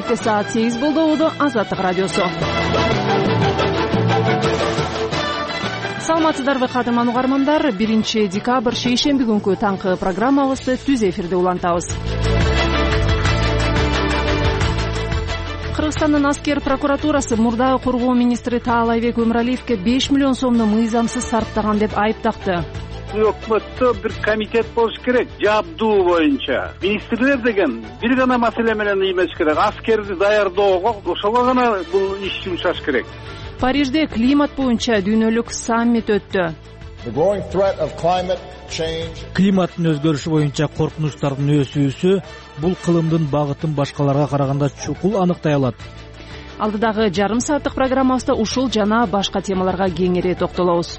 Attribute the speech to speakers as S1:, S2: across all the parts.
S1: Демекте саат 8 болду. Азаттык радиосу. Саламатсыздарбы кадырман угармандар. 1 декабрь шейшемби күнкү таңкы программабызды түз эфирде улантабыз. Кыргызстандын аскер прокуратурасы мурдагы коргоо министри Таалайбек Өмүралиевке 5 миллион сомду мыйзамсыз сарптаган деп айыптакты.
S2: Өкмөттө бир комитет болуш керек, жабдуу боюнча. Министрлер деген бир гана маселе менен эмес керек, аскерди даярдоого, ошого гана бул иш жумшаш керек.
S1: Парижде климат боюнча дүйнөлүк саммит өттү.
S3: Климаттын өзгөрүшү боюнча коркунучтардын өсүүсү бул кылымдын багытын башкаларга караганда чукул аныктай алат.
S1: Алдыдагы жарым сааттык программабызда ушул жана башка темаларга кеңири токтолобуз.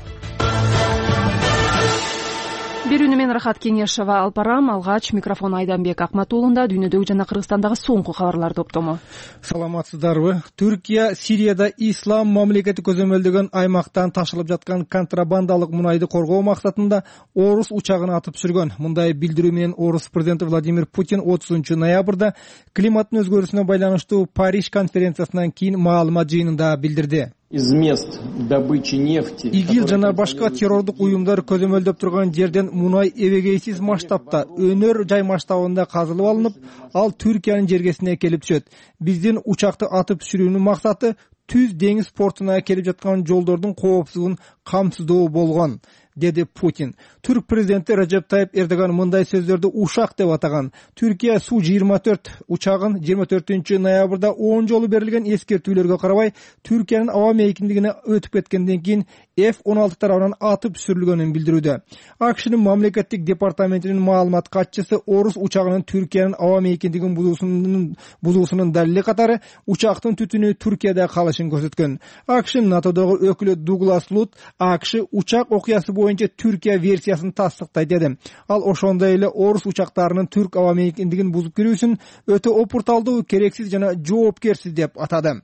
S1: Берүүнү мен Рахат Кеңешова алып барам. Алгач микрофон Айданбек Акматуулунда дүйнөдөгү жана Кыргызстандагы соңку кабарлар топтому.
S4: Саламатсыздарбы? Түркия Сирияда ислам мамлекети көзөмөлдөгөн аймактан ташылып жаткан контрабандалык мунайды коргоо максатында орус учагын атып түшүргөн. Мындай билдирүү менен орус президенти Владимир Путин 30 ноябрда климаттын өзгөрүүсүнө байланыштуу Париж конференциясынан кийин маалымат жыйынында билдирди. ИГИЛ жана башка террордук уюмдар көзөмөлдөп турган жерден мунай эбегейсиз масштабта өнөр жай масштабында казылып алынып, ал Түркиянын жергесине келип түшөт. Биздин учакты атып түшүрүүнүн максаты түз деңиз портуна келип жаткан жолдордун коопсуздугун камсыздоо болгон, деди Путин. Түрк президенти Режеп Тайип Эрдоган мындай сөздөрдү ушак деп атаган. Түркия Су-24 учагын 24 ноябрда 10 жолу берилген эскертүүлөргө карабай Түркиянын аба мейкиндигине өтүп кеткенден кийин F-16 тарабынан атып түшүрүлгөнүн билдирүүдө. АКШнын мамлекеттик департаментинин маалымат катчысы орус учагынын Түркиянын аба мейкиндигин бузуусунун далили катары учактын түтүнү Түркияда калышын көрсөткөн. АКШнын НАТОдогу өкүлү Дуглас Лут АКШ учак окуясы боюнча Түркия версиясын тастыктайт деди. Ал ошондой эле орус учактарынын түрк аба мейкиндигин бузуп кирүүсүн өтө опурталдуу, керексиз жана жоопкерсиз деп атады.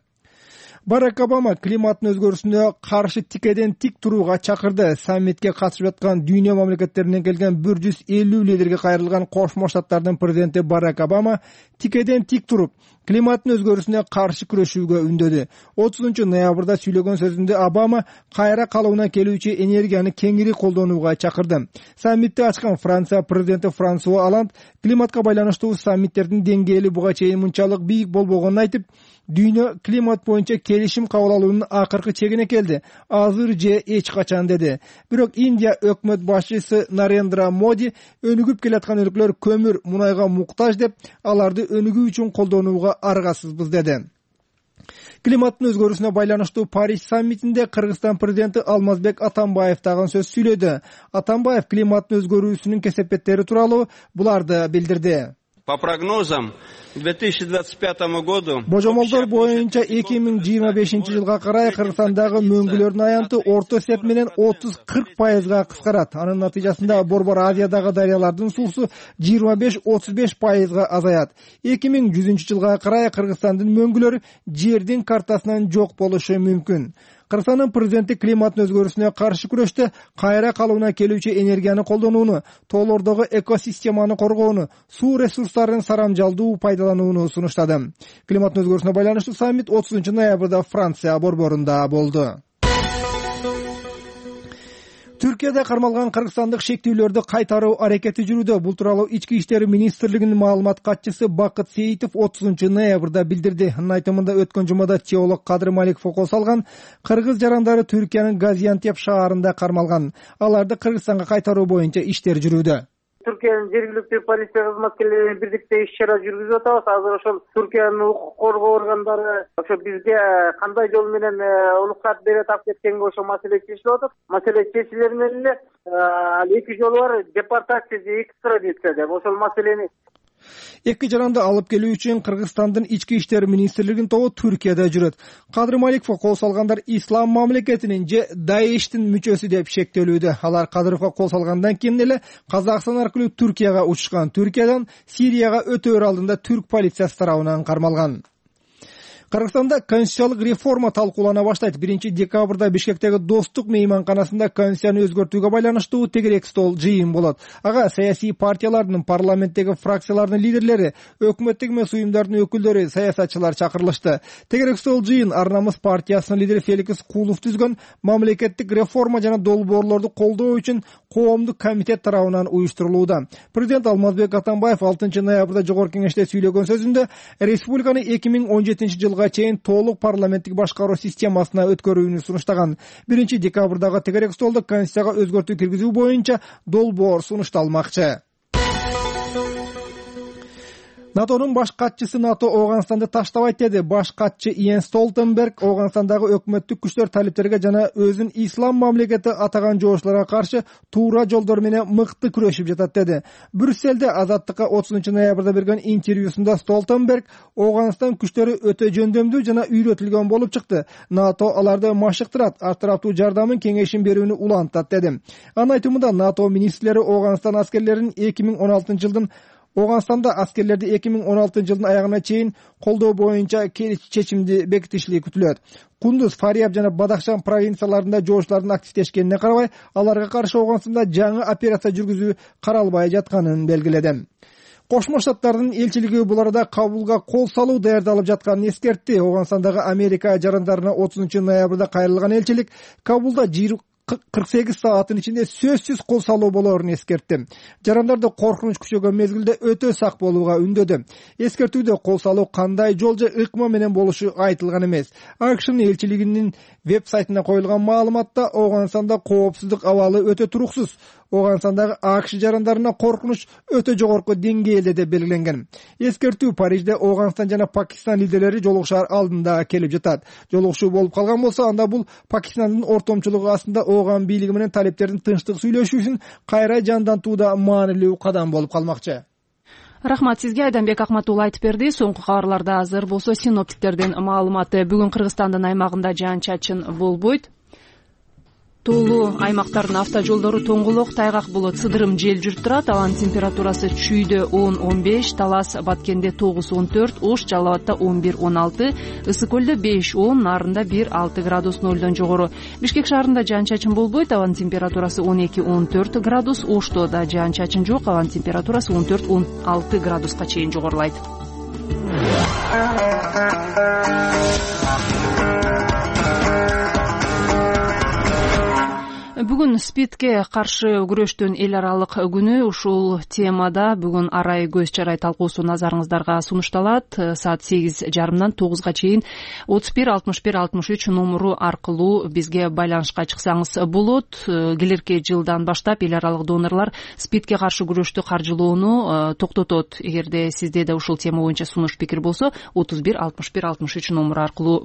S4: Барак Обама климаттын өзгөрүүсүнө каршы тикеден тик турууга чакырды. Саммитке катышып жаткан дүйнө мамлекеттеринен келген 150 лидерге кайрылган Кошмо Штаттардын президенти Барак Обама тикеден тик туруп, климаттын өзгөрүүсүнө каршы күрөшүүгө үндөдү. 30 ноябрда сүйлөгөн сөзүндө Обама кайра калыбына келүүчү энергияны кеңири колдонууга чакырды. Саммитти ачкан Франция президенти Франсуа Оланд климатка байланыштуу саммиттердин деңгээли буга чейин мынчалык бийик болбогонун айтып, дүйнө климат боюнча келишим кабыл алуунун акыркы чегине келди. Азыр же эч качан деди. Бирок Индия өкмөт башчысы Нарендра Моди өнүгүп келаткан өлкөлөр көмүр, мунайга муктаж деп, аларды өнүгүү үчүн колдонууга аргасызбыз деди. Климаттын өзгөрүүсүнө байланыштуу Париж саммитинде Кыргызстан президенти Алмазбек Атамбаев дагы сөз сүйлөдү. Атамбаев климаттын өзгөрүүсүнүн кесепеттери тууралуу буларды билдирди.
S5: По прогнозам, к 2025 году
S4: божомолдор боюнча 2025 жылга карай Кыргызстандагы мөңгүлөрдүн аянты орто эсеп менен 30-40% кыскарат. Анын натыйжасында Борбор Азиядагы дарыялардын суусу 25-35% азаят. 2100 жылга карай Кыргызстандын мөңгүлөрү жердин картасынан жок болушу мүмкүн. Кыргызстандын президенти климаттын өзгөрүүсүнө каршы күрөштө кайра калыбына келүүчү энергияны колдонууну, тоолордогу экосистеманы коргоону, суу ресурстарын сарамжалдуу пайдаланууну сунуштады. Климаттын өзгөрүүсүнө байланыштуу саммит 30 ноябрда Франция борборунда болду. Түркияда кармалган кыргызстандык шектүүлөрдү кайтаруу аракети жүрүүдө. Бул тууралуу Ички иштер министрлигинин маалымат катчысы Бакыт Сейитов 30 ноябрда билдирди. Анын айтымында өткөн жумада теолог Кадыр Маликов кол салган кыргыз жарандары Түркиянын Газиантеп шаарында кармалган. Аларды Кыргызстанга кайтаруу боюнча иштер жүрүүдө.
S6: Түркиянын жергиликтүү полиция кызматкерлери менен бирдикте иш-чара жүргүзүп атабыз. Азыр ошол Түркиянын укук коргоо органдары ошо бизге кандай жол менен уруксат бере тап кеткенге ошо маселе чечилип атат. Маселе чечилер менен эле эки жолу бар депортация же экстрадиция деп ошол маселени
S4: Эки жаранды алып келүү үчүн Кыргызстандын ички иштер министрлигинин тобу Түркияда жүрөт. Кадыр Маликовго кол салгандар ислам мамлекетинин же Даиштин мүчөсү деп шектелүүдө. Алар Кадыровго кол салгандан кийин эле Казакстан аркылуу Түркияга учушкан. Түркиядан Сирияга өтөөр алдында түрк полициясы тарабынан кармалган. Кыргызстанда конституциялык реформа талкуулана баштайт. 1-декабрда Бишкектеги Достук мейманканасында конституцияны өзгөртүүгө байланыштуу тегерек стол жыйын болот. Ага саясий партиялардын, парламенттеги фракциялардын лидерлери, өкмөттүк эмес уюмдардын өкүлдөрү, саясатчылар чакырылышты. Тегерек стол жыйын Ар намыс партиясынын лидери Феликс Кулов түзгөн мамлекеттик реформа жана долбоорлорду колдоо үчүн коомдук комитет тарабынан уюштурулууда. Президент Алмазбек Атамбаев 6 ноябрда жогорку кеңеште сүйлөгөн сөзүндө республиканы 2017-жылга чейин толук парламенттик башкаруу системасына өткөрүүнү сунуштаган. 1-декабрдагы тегерек столдо конституцияга өзгөртүү киргизүү боюнча долбоор сунушталмакчы. НАТОнун баш катчысы НАТО Ооганстанды таштабайт деди. Баш катчы Йенс Столтенберг Ооганстандагы өкмөттүк күчтөр талиптерге жана өзүн ислам мамлекети атаган жоошторго каршы туура жолдор менен мыкты күрөшүп жатат деди. Брюссельде Азаттыкка 30 ноябрда берген интервьюсунда Столтенберг Ооганстан күчтөрү өтө жөндөмдүү жана үйрөтүлгөн болуп чыкты. НАТО аларды машыктырат, артыраптуу жардамын, кеңешин берүүнү улантат деди. Анын айтымында НАТО министрлери Ооганстан аскерлерин 2016-жылдын Ооганстанда аскерлерди 2016-жылдын аягына чейин колдоо боюнча чечимди бекитишли күтүлөт. Кундуз, Фарияб жана Бадахшан провинцияларында жооштардын активдешкенине карабай, аларга каршы Ооганстанда жаңы операция жүргүзүү каралбай жатканын белгиледи. Кошмо Штаттардын элчилиги бул арада Кабулга кол салуу даярдалып жатканын эскертти. Ооганстандагы Америка жарандарына 30 ноябрда кайрылган элчилик Кабулда 48 сааттын ичинде сөзсүз кол салуу болоорун эскертти. Жарандарды коркунуч күчөгөн мезгилде өтө сак болууга үндөдү. Эскертүүдө кол салуу кандай жол же ыкма менен болушу айтылган эмес. АКШнын элчилигинин веб-сайтына коюлган маалыматта Ооганстанда коопсуздук абалы өтө туруксуз. Ооганстандагы АКШ жарандарына коркунуч өтө жогорку деңгээлде деп белгиленген. Эскертүү Парижде Ооганстан жана Пакистан лидерлери жолугушаар алдында келип жатат. Жолугушуу болуп калган болсо, анда бул Пакистандын ортомчулугу астында Ооган бийлиги менен талиптердин тынчтык сүйлөшүүсүн кайра жандантууда маанилүү кадам болуп калмакчы.
S1: Рахмат сизге, Айданбек Акматулла айтып берди. Соңку кабарларда азыр болсо синоптиктердин маалыматы. Бүгүн Кыргызстандын аймагында жаан-чачын болбойт. Тоолуу аймактардын автожолдору тоңголок, тайгак болот, сыдырым жел жүрүп турат. Абанын температурасы Чүйдө 10-15, Талас Баткенде 9-14, Ош Жалал Абадда 11-16, Ысык көлдө 5-10, Нарында 1-6 градус нолдон жогору. Бишкек шаарында жаан-чачын болбойт. Абанын температурасы 12-14 градус, Ошто да жаан-чачын жок. Абанын температурасы 14-16 градуска чейин жогорулайт. Бүгүн СПИДке каршы күрөштүн эл аралык күнү. Ушул темада бүгүн арай көз чарай талкуусу назарыңыздарга сунушталат. Саат 8:30 9га чейин 31-61-63 номеру аркылуу бизге байланышка чыксаңыз болот. Келерки жылдан баштап эл аралык донорлор СПИДке каршы күрөштү каржылоону токтотот. Эгерде сизде да ушул тема боюнча сунуш пикир болсо, 31-61-63 номеру аркылуу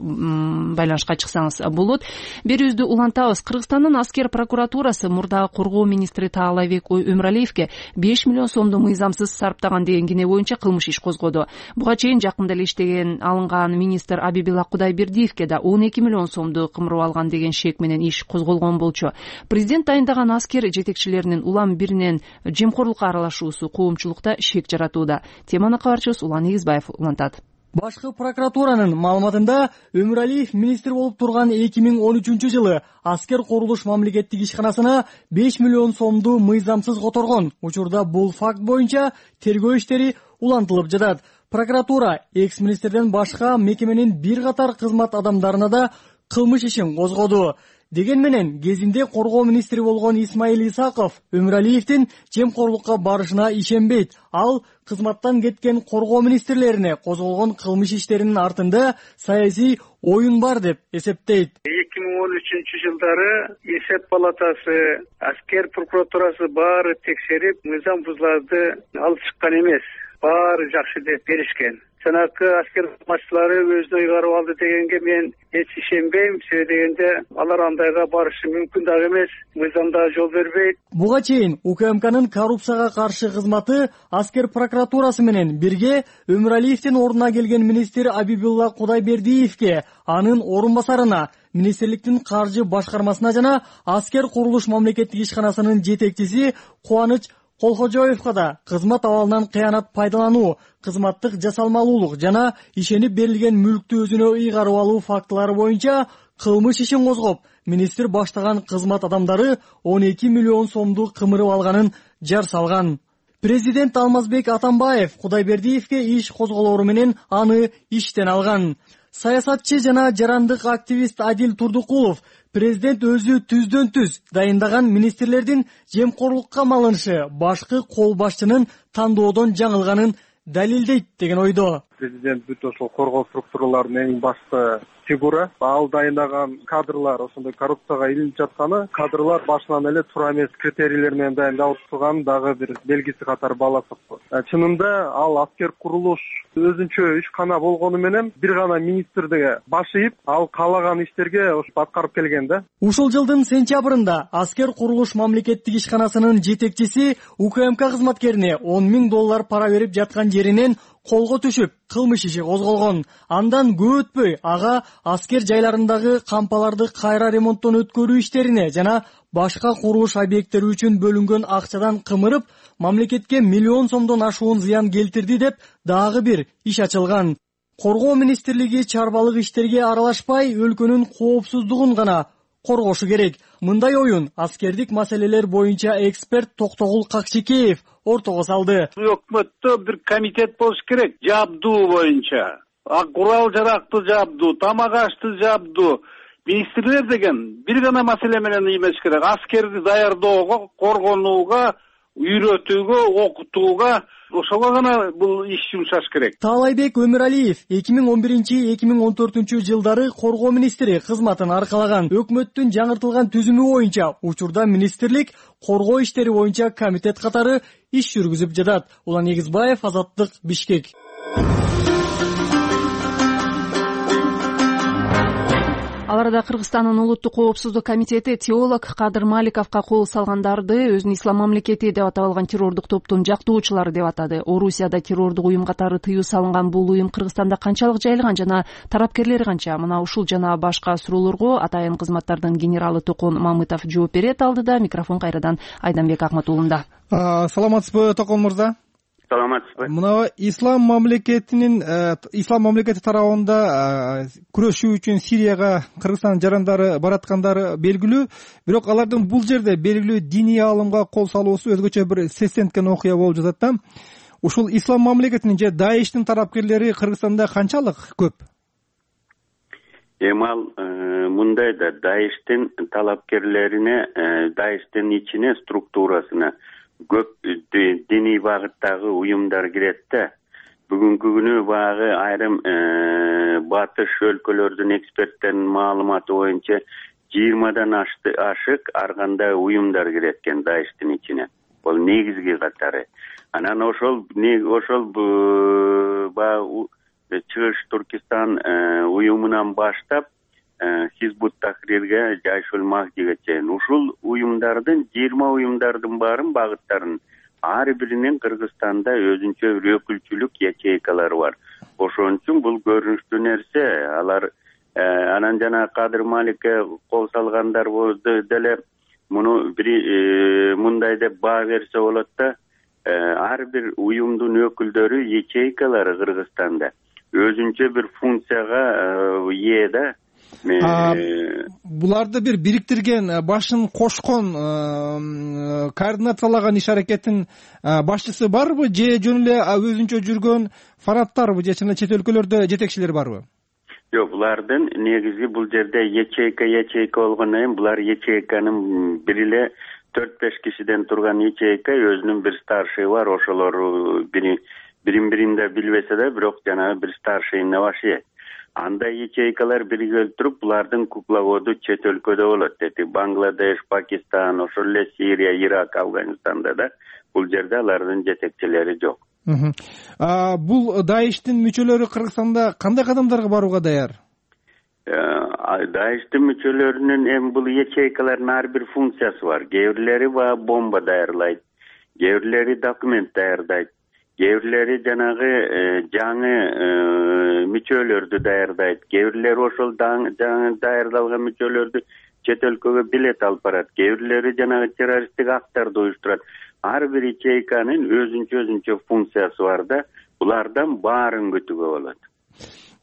S1: байланышка чыксаңыз болот. Берүүбүздү улантабыз. Кыргызстандын аскер прокуратурасы мурдагы коргоо министри Таалайбек Өмүралиевге 5 миллион сомду мыйзамсыз сарптаган деген кине боюнча кылмыш иш козгоду. Буга чейин жакында эле иштеген алынган министр Абибилла Кудайбердиевке да 12 миллион сомду кымырып алган деген шек менен иш козголгон болчу. Президент дайындаган аскер жетекчилеринин улам биринен жемкорлукка аралашуусу коомчулукта шек жаратууда. Теманы кабарчыбыз Улан Эгизбаев улантат.
S7: Башкы прокуратуранын маалыматында Өмүралиев министр болуп турган 2013-жылы аскер курулуш мамлекеттик ишканасына 5 миллион сомду мыйзамсыз которгон. Учурда бул факт боюнча тергөө иштери улантылып жатат. Прокуратура экс-министрден башка мекеменин бир катар кызмат адамдарына да кылмыш ишин козгоду. Деген менен кезинде коргоо министри болгон Исмаил Исаков Өмүралиевдин жемкорлукка барышына ишенбейт. Ал кызматтан кеткен коргоо министрлерине козголгон кылмыш иштеринин артында саясий оюн бар деп эсептейт.
S6: 2013-жылдары эсеп палатасы, аскер прокуратурасы баары текшерип, мыйзам бузууларды алып чыккан эмес. Баары жакшы деп беришкен. Жанакы аскер кызматчылары өзүнө ыйгарып алды дегенге мен эч ишенбейм. Себеби дегенде алар андайга барышы мүмкүн дагы эмес. Мыйзамда жол бербейт.
S7: Буга чейин УКМКнын коррупцияга каршы кызматы аскер прокуратурасы менен бирге Өмүралиевдин ордуна келген министр Абибилла Кудайбердиевке, анын орун басарына, министрликтин каржы башкармасына жана аскер курулуш мамлекеттик ишканасынын жетекчиси Кубаныч Колхожоевго да кызмат абалынан кыянат пайдалануу, кызматтык жасалмалуулук жана ишенип берилген мүлктү өзүнө ыйгарып алуу фактылары боюнча кылмыш ишин козгоп, министр баштаган кызмат адамдары 12 миллион сомду кымырып алганын жар салган. Президент Алмазбек Атамбаев Кудайбердиевке иш козголору менен аны иштен алган. Саясатчы жана жарандык активист Адил Турдукулов президент өзү түздөн түз дайындаган министрлердин жемкорлукка малынышы башкы кол башчынын тандоодон жаңылганын далилдейт деген ойдо.
S8: Президент бүт ошол коргоо структураларынын эң башкы фигура. Ал дайындаган кадрлар ошондой коррупцияга илинип жатканы, кадрлар башынан эле туура эмес критерийлер менен дайындалып турган дагы бир белгиси катары баласып. Чынында ал аскер курулуш өзүнчө ишкана болгону менен бир гана министрдиге баш ийип, ал каалаган иштерге аткарып келген да.
S7: Ушул жылдын сентябрында аскер курулуш мамлекеттик ишканасынын жетекчиси УКМК кызматкерине $10,000 пара берип жаткан жеринен колго түшүп, кылмыш иши козголгон. Андан көп өтпөй ага аскер жайларындагы кампаларды кайра ремонттон өткөрүү иштерине жана башка курулуш объекттери үчүн бөлүнгөн акчадан кымырып, мамлекетке миллион сомдон ашуун зыян келтирди деп дагы бир иш ачылган. Коргоо министрлиги чарбалык иштерге аралашпай, өлкөнүн коопсуздугун гана коргошу керек. Мындай оюн аскердик маселелер боюнча эксперт Токтогул Какчекеев ортого салды.
S2: Өкмөттө бир комитет болуш керек, жабдуу боюнча. Курал жаракты жабдуу, тамак ашты жабдуу. Министрлер деген бир гана маселе менен эмес керек. Аскерди даярдоого, коргонууга, үйрөтүүгө, окутууга, ошого гана бул иш жумшаш керек.
S7: Таалайбек Өмүралиев 2011-2014 жылдары коргоо министри кызматын аркалаган. Өкмөттүн жаңыртылган түзүмү боюнча учурда министрлик коргоо иштери боюнча комитет катары иш жүргүзүп жатат. Улан Эгизбаев, Азаттык, Бишкек.
S1: Ал арада Кыргызстандын улуттук коопсуздук комитети теолог Кадыр Маликовго кол салгандарды өзүн ислам мамлекети деп атап алган террордук топтун жактоочулары деп атады. Орусияда террордук уюм катары тыюу салынган бул уюм Кыргызстанда канчалык жайылган жана тарапкерлери канча? Мына ушул жана башка суроолорго атайын кызматтардын генералы Токон Мамытов жооп берет. Алдыда микрофон кайрадан Айданбек Акматуулунда.
S4: Саламатсызбы, Токон мырза?
S2: Саламатсызбы.
S4: Мына ислам мамлекети тарабында күрөшүү үчүн Сирияга Кыргызстан жарандары бараткандары белгилүү, бирок алардын бул жерде белгилүү диний аалымга кол салуусу өзгөчө бир сестенткен окуя болуп жатат да. Ушул ислам мамлекетинин же Даиштин тарапкерлери Кыргызстанда канчалык көп?
S9: Ал мындай да, Даиштин талапкерлерине, Даиштин ичине, структурасына көп диний багыттагы уюмдар кирет да. Бүгүнкү күнү багы айрым батыш өлкөлөрдүн эксперттеринин маалыматы боюнча 20дан ашык ар кандай уюмдар кирет экен Даиштин ичине. Бул негизги катары. Анан ошол Чыгыш Туркистан уюмунан баштап Хизбут Тахрирге, Жайшул Махдиге чейин ушул уюмдардын 20 уюмдардын баарын багыттарын ар биринин Кыргызстанда өзүнчө бир өкүлчүлүк ячейкалары бар. Ошон үчүн бул көрүнүштүү нерсе. Алар анан жана Кадыр Маликке кол салгандар деле муну мындай деп баа берсе болот да. Ар бир уюмдун өкүлдөрү ячейкалары Кыргызстанда өзүнчө бир функцияга ээ да.
S4: Буларды бир бириктирген, башын кошкон, координациялаган иш аракеттин башчысы барбы, же жөн эле өзүнчө жүргөн фанаттарбы, же чет өлкөлөрдө жетекчилер барбы?
S9: Жок, булардын негизги бул жерде ячейка болгондон кийин булар ячейканын бир эле 4-5 кишиден турган ячейка, өзүнүн бир старший бар, ошолор бирин-биринде билбесе да, бирок жанагы бир старший на башы. Андай ячейкалар биригип туруп, булардын кукловоду чет өлкөдө болот. Бангладеш, Пакистан, ошол эле Сирия, Ирак, Афганистанда да бул жерде алардын жетекчилери жок.
S4: Бул Даиштин мүчөлөрү Кыргызстанда кандай кадамдарга барууга даяр?
S9: Даиштин мүчөлөрүнүн эми бул ячейкалардын ар бир функциясы бар. Кээ бирлери бомба даярдайт, кээ бирлери документ даярдайт, кээ бирлери жанагы жаңы мүчөлөрдү даярдайт, кээ бирлери ошол жаңы даярдалган мүчөлөрдү чет өлкөгө билет алып барат, кээ бирлери жанагы террористтик акттарды уюштурат. ар бир ячейканын өзүнчө функциясы бар да, булардан баарын күтүүгө болот.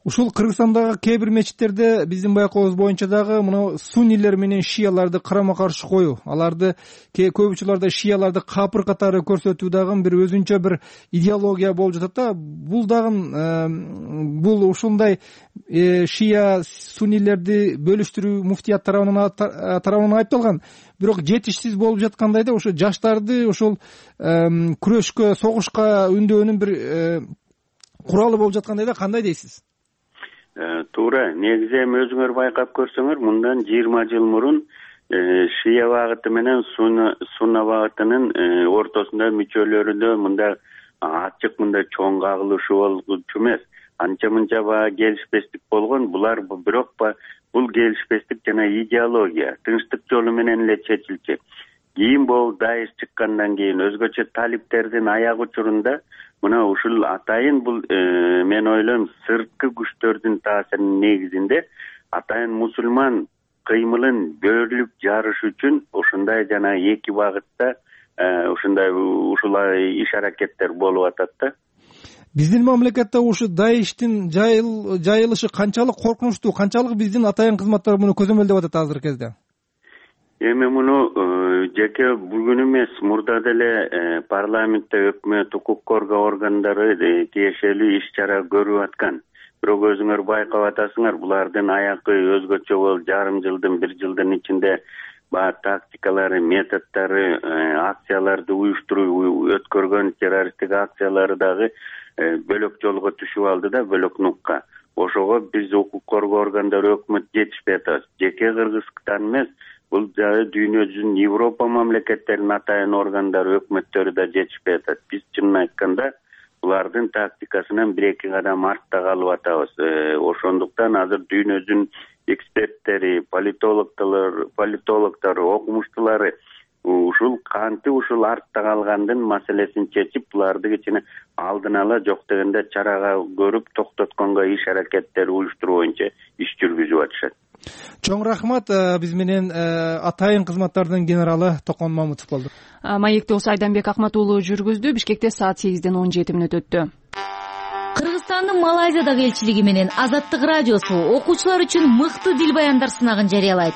S4: Ушул Кыргызстандагы кээ бир мечиттерде биздин байкообуз боюнча дагы мына суннилер менен шияларды карама каршы коюу, аларды көп учурларда шияларды капыр катары көрсөтүү дагы бир өзүнчө бир идеология болуп жатат да. Бул дагы бул ушундай шия суннилерди бөлүштүрүү муфтият тарабынан айыпталган. Бирок жетишсиз болуп жаткандай да, ошо жаштарды ошол күрөшкө, согушка үндөөнүн бир куралы болуп жаткандай да. Кандай дейсиз?
S9: Туура. Негизи эми өзүңөр байкап көрсөңөр, мындан 20 жыл мурун шия багыты менен сунна багытынын ортосунда мүчөлөрүндө мындай ачык, мындай чоң кагылышуу болчу эмес. Анча-мынча баягы келишпестик болгон. Булар бирок бул келишпестик жана идеология тынчтык жолу менен эле чечилчү. Кийин бул Даиш чыккандан кийин өзгөчө талиптердин аяк учурунда мына ушул атайын бул мен ойлойм сырткы күчтөрдүн таасиринин негизинде атайын мусулман кыймылын бөлүп жарыш үчүн ушундай жана эки багытта ушул иш аракеттер болуп атат да.
S4: Биздин мамлекетте ушу Даиштин жайылышы канчалык коркунучтуу, канчалык биздин атайын кызматтар муну көзөмөлдөп атат азыркы кезде?
S9: Эми муну жеке бүгүн эмес, мурда деле парламентте өкмөт, укук коргоо органдары тиешелүү иш-чара көрүп аткан. Бирок өзүңөр байкап атасыңар, булардын аякы өзгөчө болуп, жарым жылдын, бир жылдын ичинде тактикалары, методдору, акцияларды уюштуруу, өткөргөн террористтик акциялары дагы бөлөк жолго түшүп алды да, бөлөк нукка. Ошого биз укук коргоо органдары, өкмөт жетишпей атабыз. Жеке Кыргызстан эмес, бул жагы дүйнө жүзүнүн Европа мамлекеттеринин атайын органдары, өкмөттөрү да жетишпей атат. Биз чынын айтканда булардын тактикасынан бир-эки кадам артта калып атабыз. Ошондуктан азыр дүйнө жүзүнүн эксперттери, политологдор, окумуштуулары ушул артта калгандын маселесин чечип, буларды кичине алдын ала жок дегенде чарага көрүп токтотконго иш аракеттер уюштуруу боюнча иш жүргүзүп атышат.
S4: Чоң рахмат. Биз менен атайын кызматтардын генералы Токон Мамутов болду.
S1: Маекти осы Айданбек Акмат уулу жүргүздү. Бишкекте саат 8:17 өттү.
S10: Кыргызстандын Малайзиядагы элчилиги менен Азаттык радиосу окуучулар үчүн мыкты дил баяндар сынагын жарыялайт.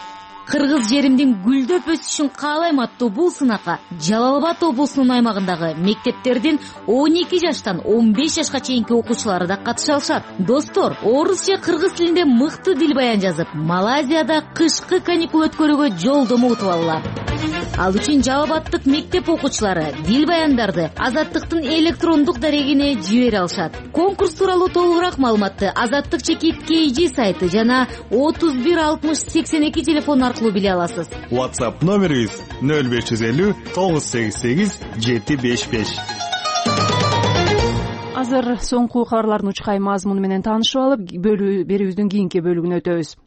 S10: Кыргыз жеримдин гүлдөп өсүшүн каалайм аттуу бул сынакка Жалал Абад облусунун аймагындагы мектептердин 12 жаштан 15 жашка чейинки окуучулары да катыша алышат. Достор, орус же кыргыз тилинде мыкты дил баян жазып, Малайзияда кышкы каникул өткөрүүгө жолдомо утуп алалар. Ал үчүн Жалал Абадтык мектеп окуучулары дил баяндарды Азаттыктын электрондук дарегине жибере алышат. Конкурс тууралуу толугураак маалыматты Азаттык _KG сайты жана 31 60 82 телефон аркылуу биле аласыз.
S11: WhatsApp номерибиз 0550 988 755.
S1: Азыр соңку кабарлардын учкай мазмуну менен таанышып алып, берүүбүздүн кийинки бөлүгүнө өтөбүз.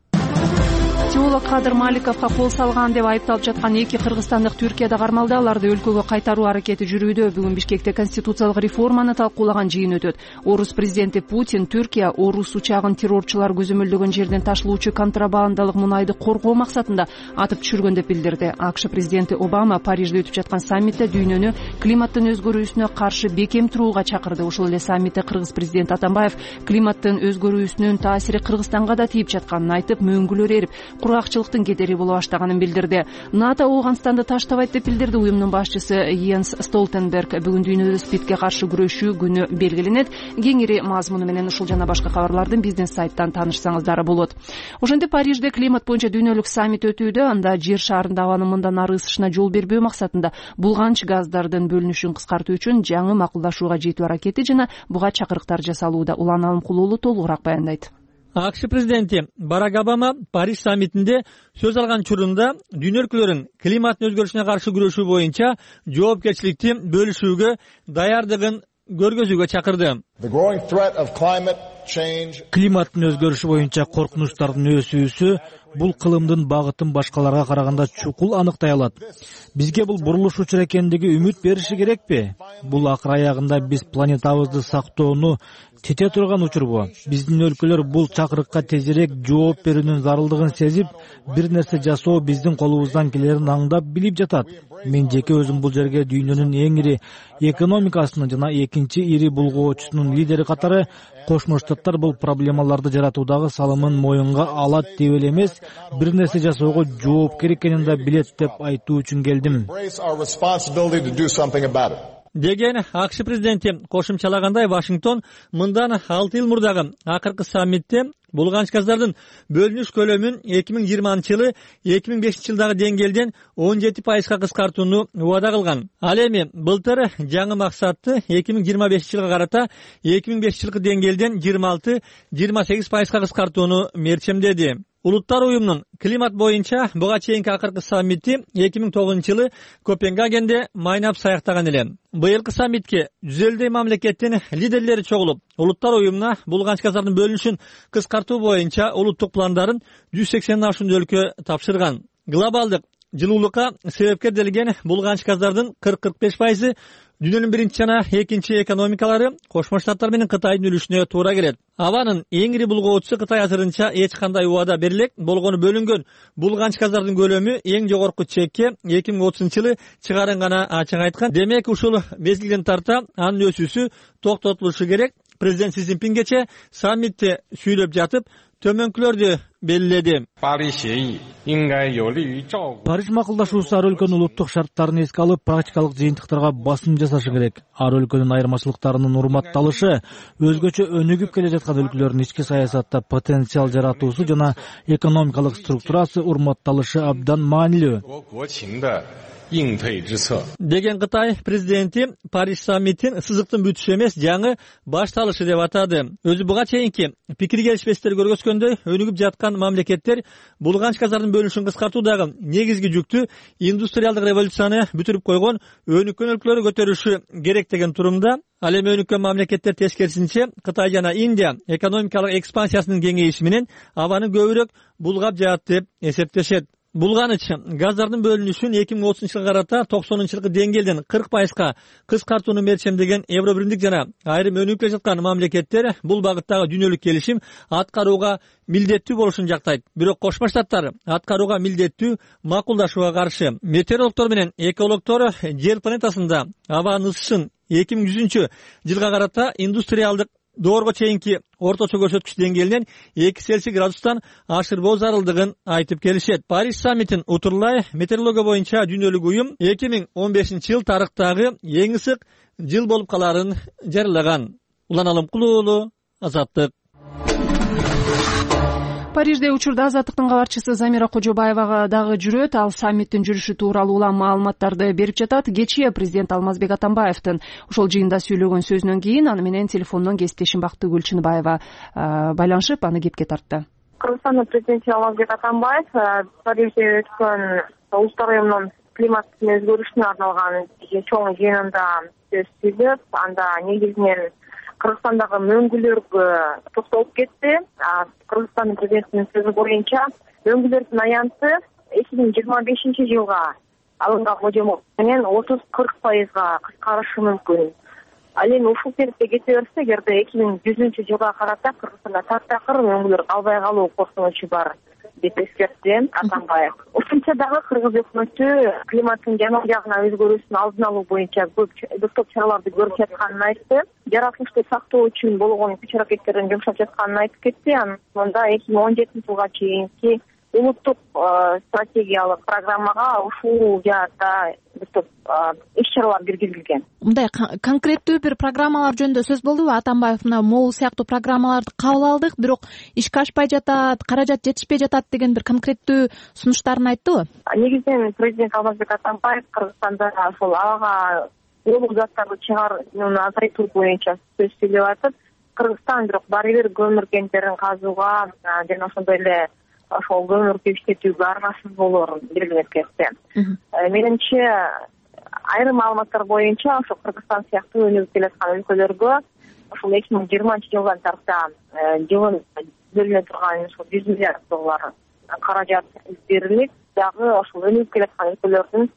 S1: Теолог Кадыр Маликовго кол салган деп айыпталып жаткан эки кыргызстандык Түркияда кармалды. Аларды өлкөгө кайтаруу аракети жүрүүдө. Бүгүн Бишкекте конституциялык реформаны талкуулаган жыйын өтөт. Орус президенти Путин Түркия орус учагын террорчулар көзөмөлдөгөн жерден ташылуучу контрабандалык мунайды коргоо максатында атып түшүргөн деп билдирди. АКШ президенти Обама Парижде өтүп жаткан саммитте дүйнөнү климаттын өзгөрүүсүнө каршы бекем турууга чакырды. Ошол эле саммитте кыргыз президенти Атамбаев климаттын өзгөрүүсүнүн таасири Кыргызстанга да тийип жатканын айтып, мөңгүлөр эрип, кургакчылыктын кедери боло баштаганын билдирди. НАТО Ооганстанды таштабайт деп билдирди. Уюмдун башчысы Йенс Столтенберг бүгүн дүйнөдө СПИДке каршы күрөшүү күнү белгиленет. Кеңири мазмуну менен ушул жана башка кабарлардын биздин сайттан таанышсаңыздар болот. Ошентип Парижде климат боюнча дүйнөлүк саммит өтүүдө. Анда жер шарында абанын мындан ары ысышына жол бербөө максатында булганч газдардын бөлүнүшүн кыскартуу үчүн жаңы макулдашууга жетүү аракети жана буга чакырыктар жасалууда. Улан Алымкулуулу толугураак баяндайт.
S3: АКШ президенти Барак Обама Париж саммитинде сөз алган учурунда дүйнө өлкөлөрүн климаттын өзгөрүшүнө каршы күрөшүү боюнча жоопкерчиликти бөлүшүүгө даярдыгын көргөзүүгө чакырды. Климаттын өзгөрүшү боюнча коркунучтардын өсүүсү
S12: бул кылымдын багытын башкаларга караганда чукул аныктай алат. Бизге бул бурулуш учур экендиги үмүт бериши керекпи? Бул акыр аягында биз планетабызды сактоону тете турган учурбу? Биздин өлкөлөр бул чакырыкка тезирээк жооп берүүнүн зарылдыгын сезип, бир нерсе жасоо биздин колубуздан келерин аңдап билип жатат. Мен жеке өзүм бул жерге дүйнөнүн эң ири экономикасынын жана экинчи ири булгоочусунун лидери катары Кошмо Штаттар бул проблемаларды жаратуудагы салымын моюнга алат деп эле эмес, бир нерсе жасоого жоопкер экенин да билет деп айтуу үчүн келдим
S3: деген АКШ президенти. Кошумчалагандай, Вашингтон мындан 6 ел мурдагы акыркы саммитте булганч газдардын бөлүнүш көлөмүн 2020-жылы 2005-жылдагы деңгээлден 17%га кыскартууну убада кылган. Ал эми былтыр жаңы максатты 2025-жылга карата 2005-жылкы деңгээлден 26-28%га кыскартууну мерчемдеди. Улуттар уюмунун климат боюнча буга чейинки акыркы саммити 2009-жылы Копенгагенде майнап саяктаган эле. Быйылкы саммитке 150 мамлекеттин лидерлери чогулуп, улуттар уюмуна булганч газдардын бөлүнүшүн кыскартуу боюнча улуттук пландарын 180 ашуун өлкө тапшырган. Глобалдык жылуулукка себепкерделген булганч газдардын 40-45% дүйнөнүн биринчи жана экинчи экономикалары Кошмо Штаттар менен Кытайдын үлүшүнө туура келет. Абанын эң ири булгоочусу Кытай азырынча эч кандай убада берилек болгону бөлүнгөн булганч газдардын көлөмү эң жогорку чекке 2030-жылы чыгарын гана ачык айткан. Демек ушул мезгилден тарта анын өсүүсү токтотулушу керек. Президент Си Цзиньпин кече саммитте сүйлөп жатып төмөнкүлөрдү белгиледи.
S12: Париж макулдашуусу ар өлкөнүн улуттук шарттарын эске алып, практикалык жыйынтыктарга басым жасашы керек. Ар өлкөнүн айырмачылыктарынын урматталышы, өзгөчө өнүгүп келе жаткан өлкөлөрдүн ички саясатта потенциал жаратуусу жана экономикалык структурасы урматталышы абдан маанилүү деген Кытай президенти Париж саммитин сызыктын бүтүшү эмес, жаңы башталышы деп атады. Өзү буга чейинки пикир келишпестер көргөзгөндөй, өнүгүп жаткан мамлекеттер булганч газдардын бөлүнүшүн кыскартуудагы негизги жүктү индустриалдык революцияны бүтүрүп койгон өнүккөн өлкөлөр көтөрүшү керек деген турумда. Ал эми өнүккөн мамлекеттер тескерисинче Кытай жана Индия экономикалык экспансиясынын кеңейиши менен абаны көбүрөөк булгап жатат деп эсептешет. Булганыч газдардын бөлүнүшүн 2030-жылга карата 90-жылкы деңгээлден 40%га кыскартууну мерчемдеген Евробиримдик жана айрым өнүгүп келе жаткан мамлекеттер бул багыттагы дүйнөлүк келишим аткарууга милдеттүү болушун жактайт. Бирок Кошмо Штаттар аткарууга милдеттүү макулдашууга каршы. Метеорологдор менен экологдор жер планетасында абанын ысышын 2100-жылга карата индустриалдык доорго чейинки орточо көрсөткүч деңгээлинен 2 Цельсий градустан ашырбоо зарылдыгын айтып келишет. Париж саммитин утурлай метеорология боюнча дүйнөлүк уюм 2015-жыл тарыхтагы эң ысык жыл болуп каларын жарыялаган. Улан Алымкулуу уулу, Азаттык.
S1: Парижде учурда Азаттыктын кабарчысы Замира Кожобаева дагы жүрөт. Ал саммиттин жүрүшү тууралуу улам маалыматтарды берип жатат. Кечээ президент Алмазбек Атамбаевдин ошол жыйында сүйлөгөн сөзүнөн кийин аны менен телефондон кесиптешим Бактыгүл Гүлчүнбаева байланышып, аны кепке тартты.
S13: Кыргызстандын президенти Алмазбек Атамбаев Парижде өткөн улуттар уюмунун климаттын өзгөрүшүнө арналган чоң жыйынында сөз сүйлөп, анда негизинен Кыргызстандагы мөңгүлөргө токтолуп кетти. Кыргызстандын президентинин сөзү боюнча мөңгүлөрдүн аянты 2025-жылга алынган божомол менен 30-40%га кыскарышы мүмкүн. Ал эми ушул темпте кете берсе, эгерде 2100-жылга карата Кыргызстанда таптакыр мөңгүлөр калбай калуу коркунучу бар деп эскертти Атамбаев. Ошончо дагы кыргыз өкмөтү климаттын жаман жагына өзгөрүүсүн алдын алуу боюнча көптөп чараларды көрүп жатканын айтты. Жаратылышты сактоо үчүн болгон күч-аракеттерин жумшап жатканын айтып кетти. Анда 2017-жылга чейинки улуттук стратегиялык программага ушул жаатта көптөп иш-чаралар киргизилген.
S14: Мындай конкреттүү бир программалар жөнүндө сөз болдубу? Атамбаев могул сыяктуу программаларды кабыл алдык, бирок ишке ашпай жатат, каражат жетишпей жатат деген бир конкреттүү сунуштарын айттыбы?
S13: Негизинен президент Алмазбек Атамбаев Кыргызстанда ошол абага уулук заттарды чыгарууну азайтуу боюнча сөз сүйлөп атып, Кыргызстан бирок баары бир көмүр кенттерин казууга жана ошондой эле ошол көмүрдү иштетүүгө аргасыз болоорун белгилеп кетти. Менимче айрым маалыматтар боюнча ошо Кыргызстан сыяктуу өнүгүп келе жаткан өлкөлөргө ошол 2020-жылдан тарта жылын бөлүнө турган ошол 100 миллиард доллар каражат берилип, дагы ошол өнүгүп келаткан өлкөлөрдүн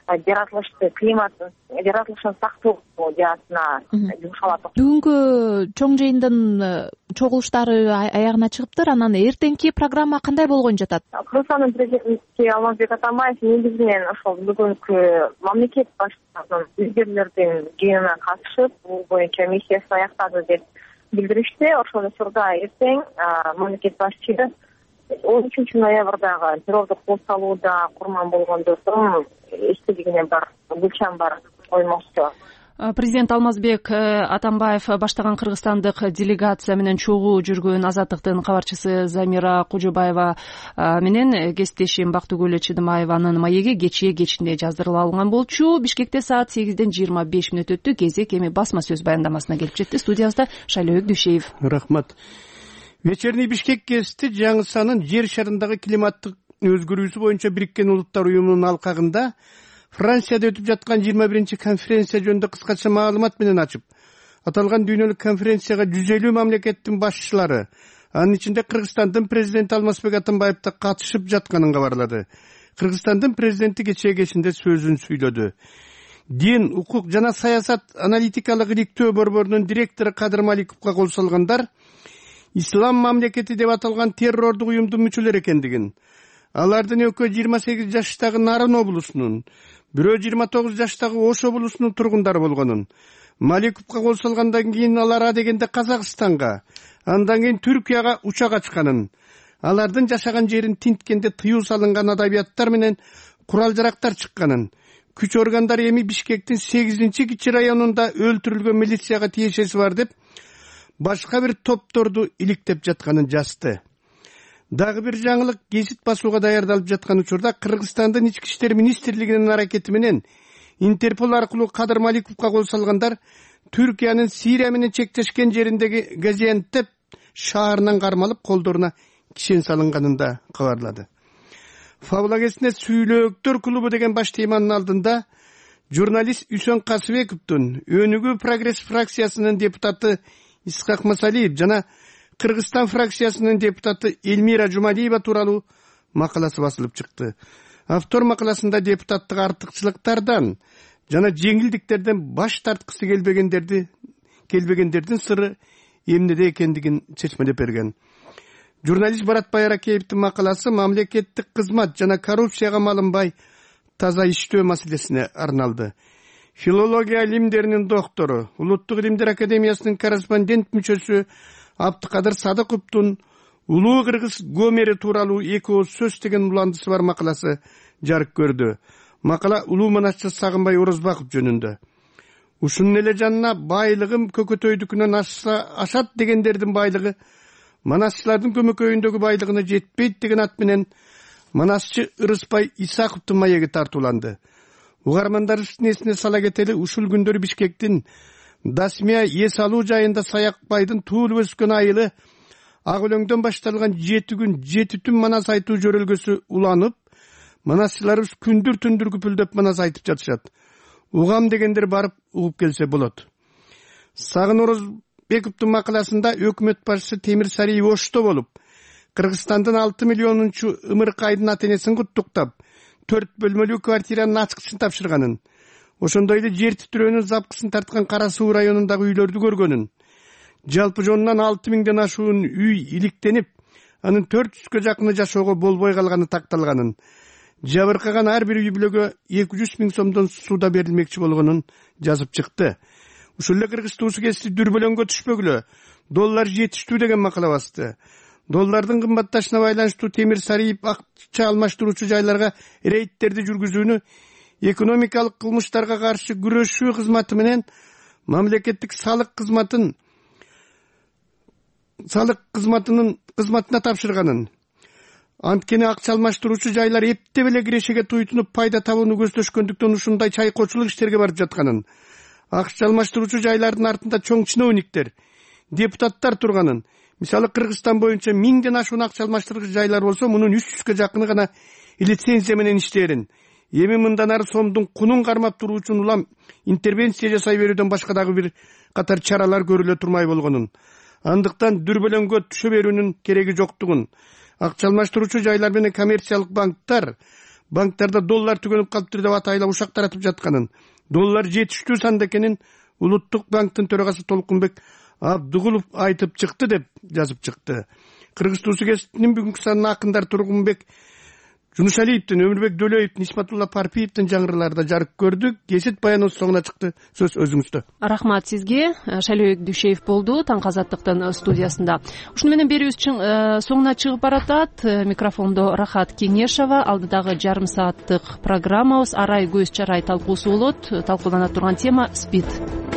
S13: жаратылышын сактоо жаатына жумшалат.
S14: Бүгүнкү чоң жыйындын чогулуштары аягына чыгыптыр. Анан эртеңки программа кандай болгон жатат?
S13: Кыргызстандын президенти Алмазбек Атамбаев негизинен ошол бүгүнкү мамлекет башчысынын өзгөрүүлөрдүн жыйынына катышып, бул боюнча миссиясын аяктады деп билдиришти. Ошол учурда эртең мамлекет башчысы 13 ноябрдагы террордук кол салууда курман болгондордун эстелигине бар гүлчан бар коймокчу.
S1: Президент Алмазбек Атамбаев баштаган кыргызстандык делегация менен чогуу жүргөн Азаттыктын кабарчысы Замира Кожобаева менен кесиптешим Бактыгүл Чыдымаеванын маеги кечинде жаздырылып алынган болчу. Бишкекте саат 8:25 өттү. Кезек эми басма сөз баяндамасына келип жетти. Студиябызда Шайлообек Дүйшеев.
S15: Рахмат. Вечерний Бишкек гезити жаңы санын жер шарындагы климаттык өзгөрүүсү боюнча Бириккен Улуттар уюмунун алкагында Францияда өтүп жаткан 21-чи конференция жөнүндө кыскача маалымат менен ачып, аталган дүйнөлүк конференцияга 150 мамлекеттин башчылары, анын ичинде Кыргызстандын президенти Алмазбек Атамбаев да катышып жатканын кабарлады. Кыргызстандын президенти кечээ сөзүн сүйлөдү. Дин, укук жана саясат аналитикалык иликтөө борборунун директору Кадыр Маликовго кол салгандар ислам мамлекети деп аталган террордук уюмдун мүчөлөрү экендигин, алардын экөө 28 жаштагы Нарын облусунун, бирөө 29 жаштагы Ош облусунун тургундары болгонун, Маликовго кол салгандан кийин алар адегенде Казакстанга, андан кийин Түркияга учак ачканын, алардын жашаган жерин тинткенде тыюу салынган адабияттар менен курал-жарактар чыкканын, күч органдары эми Бишкектин 8-кичи районунда өлтүрүлгөн милицияга тиешеси бар деп башка бир топторду иликтеп жатканын жазды. Дагы бир жаңылык гезит басууга даярдалып жаткан учурда Кыргызстандын ички иштер министрлигинин аракети менен Интерпол аркылуу Кадыр Маликовго кол салгандар Түркиянын Сирия менен чектешкен жериндеги Газиантеп шаарынан кармалып колдоруна кишен салынганын да кабарлады. Фаблагесине Сүйлөөктөр клубу деген баш теманын алдында журналист Үсөн Касыбековдун, Өнүгүү Прогресс фракциясынын депутаты Исхак Масалиев жана Кыргызстан фракциясынын депутаты Эльмира Жумалиева тууралуу макаласы басылып чыкты. Автор макаласында депутаттык артыкчылыктардан жана жеңилдиктерден баш тарткысы келбегендердин сыры эмнеде экендигин чечмелеп берген. Журналист Баратбай Аракеевдин макаласы мамлекеттик кызмат жана коррупцияга малынбай таза иштөө маселесине арналды. Филология илимдеринин доктору, Улуттук илимдер академиясынын корреспондент мүчөсү Абдыкадыр Садыковдун Улуу Кыргыз Гомери тууралуу 2 ооз сөз деген уландысы бар макаласы жарык көрдү. Макала улуу манасчы Сагынбай Орозбаков жөнүндө. Ушунун эле жанына байлыгым көкөтөйдүкүнөн ашат дегендердин байлыгы манасчылардын көмөкөйүндөгү байлыгына жетпейт деген ат менен манасчы Ырысбай Исаковдун маеги тартууланды. Угармандарыбыздын эсине сала кетели, ушул күндөрү Бишкектин Дасмия эс алуу жайында Саякбайдын туулуп өскөн айылы ак өлөңдөн башталган 7 күн 7 түн манас айтуу жөрөлгөсү уланып, манасчыларыбыз күндүр түндүр күпүлдөп манас айтып жатышат. Угам дегендер барып угуп келсе болот. Сагын Орозбековдун макаласында өкмөт башчысы Темир Сариев Ошто болуп, Кыргызстандын 6 миллионунчу Ымыркайдын ата-энесин куттуктап, 4 бөлмөлүү квартиранын ачкычын тапшырганын, ошондой эле жер титирөөнүн запкысын тарткан Кара Суу районундагы үйлөрдү көргөнүн, жалпы жонунан 6000ден ашуун үй иликтенип, анын 400гө жакыны жашоого болбой калганы такталганын, жабыркаган ар бир үй бүлөгө 200 000 сомдон сууда берилмекчи болгонун жазып чыкты. Ушул эле Кыргыз туусу кести дүрбөлөңгө түшпөгүлө, доллар жетиштүү деген макала басты. Доллардын кымбатташына байланыштуу Темир Сариев акча алмаштыруучу жайларга рейдтерди жүргүзүүнү экономикалык кылмыштарга каршы күрөшүү кызматы менен мамлекеттик салык кызматына тапшырганын, анткени акча алмаштыруучу жайлар эптеп эле кирешеге туйтунуп пайда табууну көздөшкөндүктөн ушундай чайкоочулук иштерге барып жатканын, акча алмаштыруучу жайлардын артында чоң чиновниктер, депутаттар турганын, мисалы Кыргызстан боюнча 1000ден ашуун акча алмаштыргыч жайлар болсо, мунун 300гө жакыны гана лицензия менен иштээрин, эми мындан ары сомдун кунун кармап туруу үчүн улам интервенция жасай берүүдөн башка дагы бир катар чаралар көрүлө турмай болгонун, андыктан дүрбөлөңгө түшө берүүнүн кереги жоктугун, акча алмаштыруучу жайлар менен коммерциялык банктарда доллар түгөнүп калыптыр деп атайлап ушак таратып жатканын, доллар жетиштүү санда экенин Улуттук банктын төрагасы Толкунбек Абдыгулов айтып чыкты деп жазып чыкты. Кыргыз Туусу гезитинин бүгүнкү санына акындар Тургунбек Жунушалиевдин, Өмүрбек Дөлөевдин, Исматулла Парпиевдин жаңырылары жарык көрдү. Гезит баянынын соңуна чыкты. Сөз өзүңүздө.
S1: Рахмат сизге. Шайлообек Дүйшеев болду Таң Азаттыктын студиясында. Ушуну менен берүүбүз соңуна чыгып баратат. Микрофондо Рахат Кеңешова. Алдыдагы жарым сааттык программабыз арай көз чарай талкуусу болот. Талкуулана турган тема СПИД.